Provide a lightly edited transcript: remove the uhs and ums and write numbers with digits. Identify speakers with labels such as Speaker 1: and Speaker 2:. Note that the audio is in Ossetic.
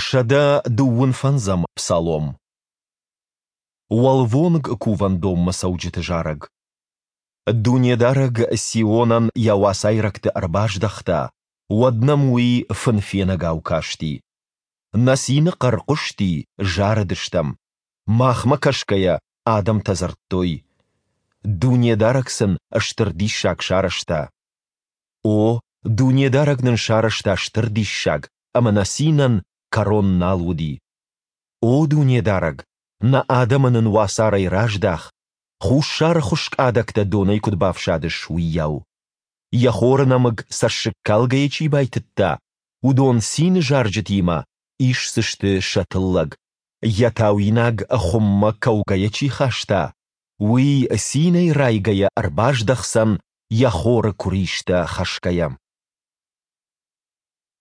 Speaker 1: 125-ӕм псалом. Уӕлвонг кувӕндонмӕ цӕуджыты зарӕг. Дунедарӕг Сионӕн йӕ уацайрӕгты ӕрбаздӕхта, уӕд нӕм уый фынфенӕгау касти. Нӕ цины хъӕр хъуысти, зарыдыстӕм. Махмӕ кӕсгӕйӕ, адӕмтӕ дзырдтой: Дунедарӕг сын стыр диссаг сарӕзта. О, Дунедарӕг нын сарӕзта стыр диссаг, ӕмӕ нӕ цинӕн кӕрон нал уыди. О Дунедарӕг, нӕ адӕмы нын уацарӕй раздах, хуссары хуыскъ адӕгтӕ донӕй куыд бафсадыс, уыйау. Йӕ хоры нӕмыг цӕссыгкалгӕйӕ чи байтыдта, уыдон цины зарджытимӕ исдзысты сӕ тыллӕг, йӕ тауинаг хуыммӕ кӕугӕйӕ чи хаста, уый цинӕй райгӕйӕ ӕрбаздӕхдзӕн йӕ хоры куыристӕ хӕсгӕйӕ.